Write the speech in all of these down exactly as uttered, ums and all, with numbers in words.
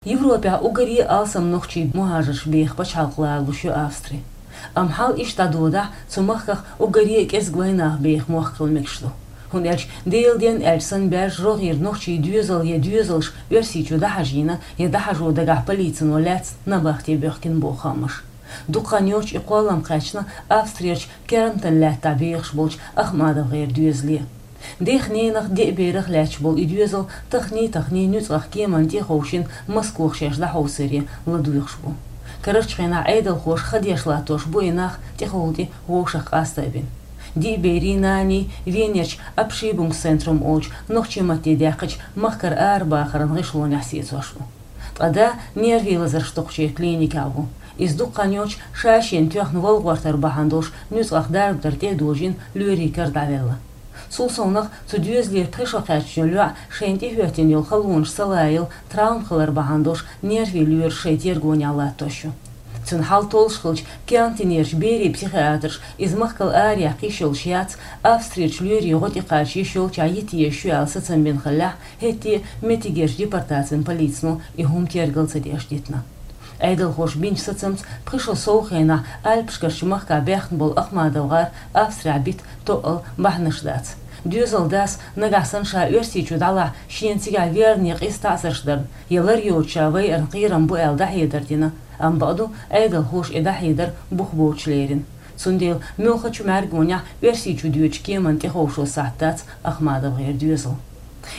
Европехь уггаре а алсам нохчий мухӀажарш беха пачхьалкх лоруш ю Австри. Амма хьал иштта дӀадодахь, цу махках уггаре а кӀезиг вайнах беха мохк хила мегаш ду. ХӀунда аьлча Делан денна аьлча санна баьржа рогӀера нохчий доьзал я доьзалш Оьрсийчу дӀахьажийна, я дӀахьажо дагахь полицино лаьцна набахте боьхкина боху хаамаш. Дукха хан йоццуш и кхоллам кхаьчна Австрерчу Кернтон лаьттахь бехаш болчу АхмадовгӀеран доьзале. Дех-ненах, деа берах лаьтташ болу и доьзал тахний-тахний нуьцкъах кеманна тӀе а ховшийна Москох шаьш дӀахьовсаре ладугӀуш бу. Карарчу хенахь Ӏедалхоша ха деш латтош бу и нах тӀехула тӀе вовшах къаста а бина. Диъ берийн, наний Венерчу Абшибунг центрум олучу нохчийн матте даьккхича махкара арабахаран гӀишлонехь сецош бу. Ткъа да нервийн лазарш доккхучеран клиникехь ву. Иза дукха хан йоццуш ша-шена тоьхна вала гӀортар бахьана долуш нуьцкъах дарба дар тӀе а дожийна лоьрийн кара дӀавелла. Цул совнаха цу доьзалера пхи шо кхаьчна йолу йоӀ шайна тӀехӀоьттина йолу халонаш ца лаялла травма хилар бахьана долуш нервийн лоьраш шайн тергонехь латтош ю. Цуьнан хьал толлуш хилча, Кернтонерчу берийн психиатраша иза махкал араяьккха йиш йолуш яц, Австрерчу лоьрийн гӀо тӀе кхача йиш йолчохь йита езаш ю аьлла сацам бина хиллехь, хӀетте а меттигерчу депортацин полицино и хӀума тергал ца деш дитина. Ӏедалхоша бинчу сацамца пхи шо сов хенахь Альпашкарчу махкахь баьхна болу АхмадовгӀар Австрехь бита тоъал бахьанаш дац. Доьзалан дас нагахь санна ша Оьрсийчу дӀалахь шена цигахь верна я къиза таӀзарш дарна, я лар йоцуш ша вайарна кхерам бу аьлла дӀахьедар дина, амма бакъду, Ӏедалхоша и дӀахьедар бух боцуш лерина. Цундела муьлххачу мӀаьргонехь Оьрсийчу доьдучу кеманна тӀеховшо сахьт дац АхмадовгӀеран доьзал.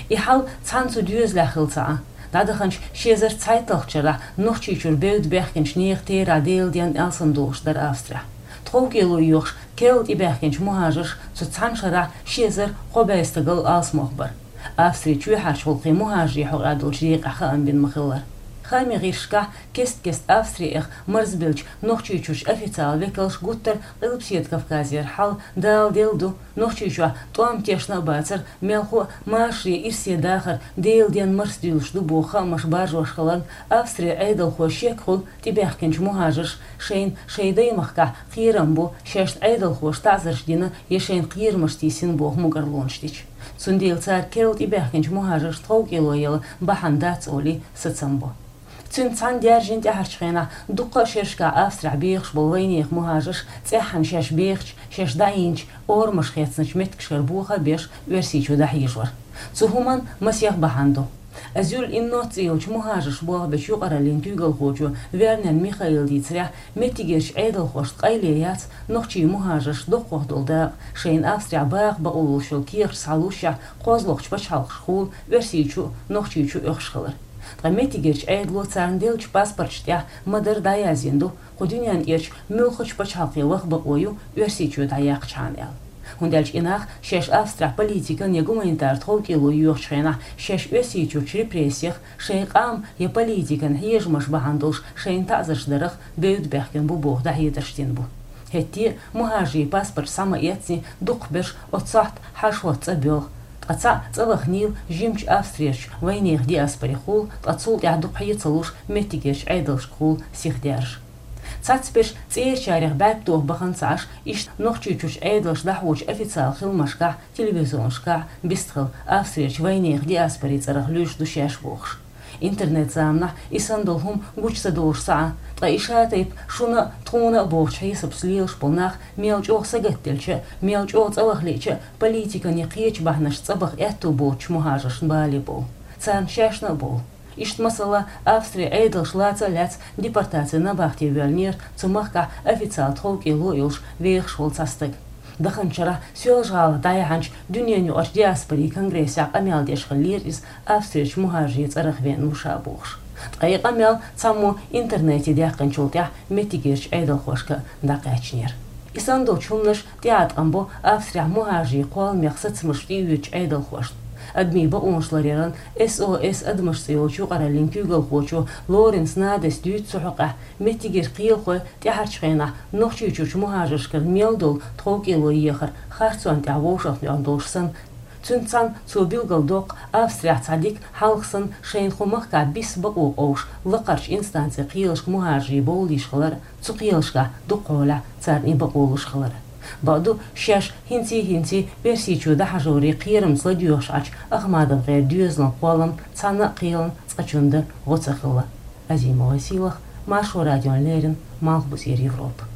И хьал цхьана цу доьзалехь хилла ца Ӏа. ДӀадаханчу ши эзар цхьайтталгӀачу шарахь Нохчийчуьра бевдда баьхкинчу нехан терахь Делан денна алсам долуш дара Австрехь. ТховкӀело йоьхуш керла тӀебаьхкинчу мухӀажарш цу цхьана шарахь ши эзар кхо бӀе стагал алсамох бара. Австрин чоьхьарчу гӀуллакхийн мухӀажарийн хьокъехь долчу декъехь хаам бина ма-хиллара. Хаамийн гӀирсашкахь кест-кеста Австри эха марзбеллачу Нохчийчуьрчу официалан векалша гуттар а Къилбаседа Кавказера хьал даладелла ду, Нохчийчохь тӀом тешна а бацара, мелхо а машаре ирсе дахар Делан денна марсадуьйлуш ду боху хаамаш баржош хиларна, Австрин Ӏедалхой шек хуьлу тӀебаьхкинчу мухӀажарша шайна шайн даймахкахь кхерам бу, шайна Ӏедалхоша таӀзарш дина я шайна кхерамаш тийсина боху мукӀарлонаш дича. Цундела цара керла тӀебаьхкинчу мухӀажарш тховкӀело яла бахьана дац олий сацам бо. Цуьнца цхьаьна даьржина тӀаьхьарчу хенахь дуккха а шерашкахь Австрехь бехаш болу вайнехан мухӀажарш цӀеххьана шаьш бехачу, шаьш дӀаийначу орамаш хецначу меттигашкара боха а беш, Оьрсийчу дӀахьежавара. Цу хӀуманна масех бахьана ду. Азюль Иннот цӀе йолчу мухӀажарш болх бечу юкъараллин куьйгалхочо Вернен Михаила дийцарехь, меттигерчу Ӏедалхошна къайле яц нохчийн мухӀажарш доккхох долу дакъа, шайна Австрехь баха бакъо луш йолу кехаташ схьалуш, кхозлагӀчу пачхьалкхашкахула Оьрсийчу а, Нохчийчу а оьхуш хилар. Ткъа меттигерчу Ӏедало царна деллачу паспорташ тӀехь ма-дарра дӀаяздина ду, кху дуьненна тӀерачу муьлххачу пачхьалкхе ваха бакъо ю Оьрсийчоь дӀаяьккхичхьана аьлла. ХӀунда аьлча и нах шаьш Австрехь политикан я гуманитар тховкӀело йоьхучу хенахь шаьш Оьрсийчуьрчу репрессех, шайн къам я политикан хьежамаш бахьана долуш шайна таӀзарш дарах бевдда баьхкина бу боху дӀахьедарш дина бу. ХӀетте а мухӀажарийн паспорташ схьа ма-эцци, дукхахберш оццу сохьта хьаьшахӀотта цӀа боьлху. Ткъа цхьаъ цӀа ваханийла жимачу Австрерчу вайнехан диаспорехула, ткъа цул тӀаьхьа дукха хье ца луш меттигерчу Ӏедалшкахула сиха даьржа. Цхьацберш цӀерачарех бӀаьрг тоха бахана ца Ӏаш, иштта Нохчийчуьрчу Ӏедалш дӀахьочу официалан хиламашкахь, телевизионашкахь бистхила Австрерчу вайнехан диаспорин цӀарах луьйш ду шаьш бохуш. Интернет-заманахь и санна долу хӀума гучу ца долуш ца Ӏа, ткъа и ша-тайпа шуна а, тхуна а бохучу хьесапца лелаш болу нах мел чӀогӀа сагатделча а, мел чӀогӀа цӀа ваха лиъча а политикан я кхечу бахьанашца цӀа баха аьтту боцучу мухӀажаршна бале бовлу. Царна шаьшна а бовлу. Иштта, масала, Австрин Ӏедалш лаца а лаьцна депортацин набахте воьллинера цу махкахь официалан тховкӀело а йолуш вехаш волу цхьа стаг. Даханчу шарахь Соьлжа-ГӀалахь дӀаяьхьначу дуьненан юкъарчу диаспорин конгрессехь къамел деш хиллера иза, Австрерчу мухӀажарийн цӀарах веана ву ша бохуш. Ткъа и къамел цхьаммо интернете даьккхинчул тӀаьхьа меттигерчу Ӏедалхошка а дӀакхаьчнера. И санна долчу хӀуманаша тӀеӀаткъам бо Австрехь мухӀажарийн кхолламех сацамаш тӀеоьцучу Ӏедалхошна. Адамийн бакъонаш ларъяран С О С адамаш цӀе йолчу юкъараллин куьйгалхочо Лоренц Надас дуьйцу цу хьокъехь, меттигера кхелахой тӀаьхьарчу хенахь Нохчийчуьрчу мухӀажаршкара мел долу тховкӀело ехар харцонна тӀехь вовшахтоьхна долуш санна, цуьнца цхьаьна цо билгалдоккху Австрехь цхьа дика хьалха санна шайна кху махкахь биса бакъо къовсуш лакхарчу инстанцин кхелашка мухӀажарий бовла йиш хилар а, цу кхелашкахь дукхахьолахь царна и бакъо луш хилар а. Бакъду, шаьш хӀинций-хӀинций Персийчоь дӀахьажорий кхерамца ладоьгӀаш Ӏача Ахмадов-гӀера доьзалан кхоллам цхьанна а кхелан цкъачунна дан гӀо ца хилла. Азимова Сийлаха, Маршо радиона леррина, Малхбузера Европа.